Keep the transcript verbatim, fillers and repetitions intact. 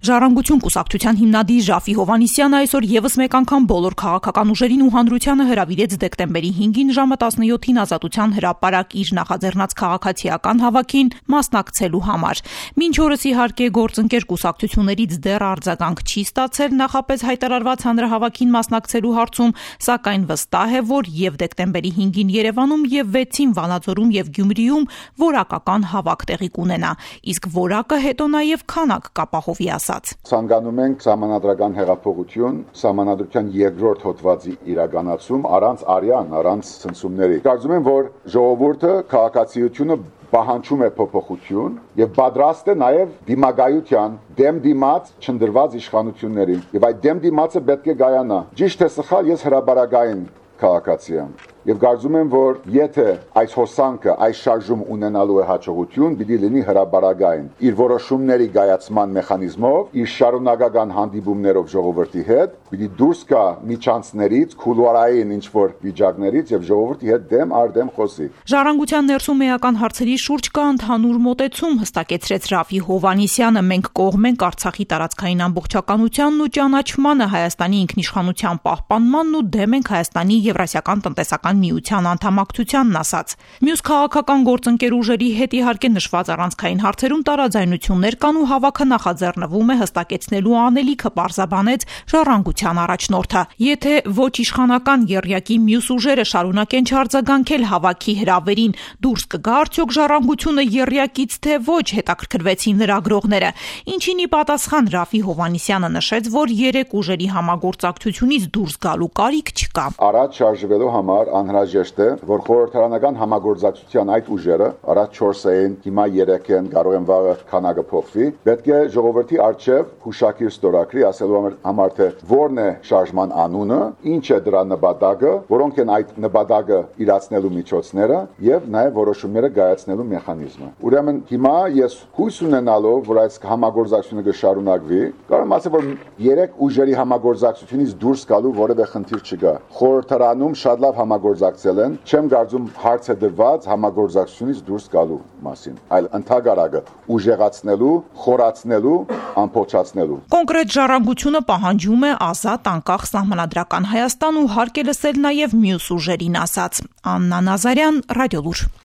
Ժառանգություն կուսակցության հիմնադիր Րաֆֆի Հովհաննիսյանը այսօր եւս մեկ անգամ բոլոր քաղաքական ուժերին ու հանրությանը հրավիրեց դեկտեմբերի հինգին ժամը տասնյոթին Ազատության հրապարակ իր նախաձեռնած քաղաքացիական հավաքին մասնակցելու համար։ Մինչ օրս իհարկե գործընկեր կուսակցություններից դեռ արձագանք չի ստացել նախապես հայտարարված հանրահավաքին մասնակցելու հարցում, սակայն վստահ է, որ եւ դեկտեմբերի հինգին Երևանում եւ վեցին Վանաձորում եւ Գյումրիում որակական հավաք տեղի կունենա, իսկ որակը հետո նաեւ քանակ կապահովի ասաց։ Ցանկանում ենք սահմանադրական հեղափոխություն, սահմանադրության երկրորդ հոդվածի իրականացում առանց արյան, առանց ցնցումների։ Կարծում եմ, որ ժողովուրդը քաղաքացիությունը պահանջում է փոփոխություն եւ պատրաստ է նաեւ դիմագայության դեմ դիմաց չնդրված իշխանություններին։ Եվ այդ դեմ դիմացը պետք է գայանա։ Ճիշտ է սխալ, ես հրաբարագային քաղաքացի եմ։ Եվ կարծում եմ, որ եթե այս հոսանքը, այս շարժում ունենալու է հաջողություն, պիտի լինի հրաբարագային իր որոշումների գայացման մեխանիզմով, իր շարունակական հանդիպումներով ժողովրդի հետ, պիտի դուրս գա միջանցներից, քուլուարային ինչ-որ վիճակներից եւ ժողովրդի հետ դեմ առ դեմ խոսի։ Ժառանգության ներսում էական հարցերի շուրջ կա ընդհանուր մոտեցում, հստակեցրեց Րաֆֆի Հովհաննիսյանը։ Մենք կողմ ենք Արցախի տարածքային ամբողջականությանն ու ճանաչմանը, Հայաստանի ինքնիշխանության պահպանմանն ու դեմ ենք Հայաստանի Եվրասիական տնտեսական միության անդամակցությանն ասաց։ Մյուս քաղաքական գործընկեր ուժերի հետ իհարկե նշված առանցքային հարցերում տարաձայնություններ կան ու հավաքը նախաձեռնվում է հստակեցնելու անելիքը պարզաբանեց Ժառանգության առաջնորդը։ Եթե ոչ իշխանական եռյակի մյուս ուժերը շարունակեն չարձագանքել հավաքի հրավերին, դուրս կգա արդյոք Ժառանգությունը եռյակից թե ոչ, հետաքրքրվեցին լրագրողները։ Ինչին ի պատասխան Րաֆֆի Հովհաննիսյանը նշեց, որ երեք ուժերի համագործակցությունից դուրս գալու կարիք չկա։ Առաջ շարժվելու համար անհրաժեշտ է, որ խորհրդարանական համագործակցության այդ ուժերը առաջ չորս էին, հիմա երեք են, կարող են վաղը քանակը փոխվի։ Պետք է ժողովրդի արչև հուշակիր ստորագրի, ասելու համար թե որն է շարժման անունը, ինչ է դրա նպատակը, որոնք են այդ նպատակը իրացնելու միջոցները եւ նաեւ որոշումները կայացնելու մեխանիզմը։ Ուրեմն հիմա ես հույս ունենալով, որ այս համագործակցությունը կշարունակվի, կարող եմ ասել, որ երեք ուժերի համագործակցությունից դուրս գալու որևէ խնդիր չկա։ Խորհրդարանում շատ լավ համագործակցել են, չեմ կարծում հարց է դրված համագործակցությունից դուրս գալու մասին, այլ ընդհանրակը ուժեղացնելու, խորացնելու, ամփոփչացնելու։ Կոնկրետ Ժառանգությունը պահանջում է ազատ, անկախ սահմանադրական Հայաստան ու հարկ է լսել նաև մյուս ուժերին ասաց։ Աննա Նազարյան, Ռադիոլուր։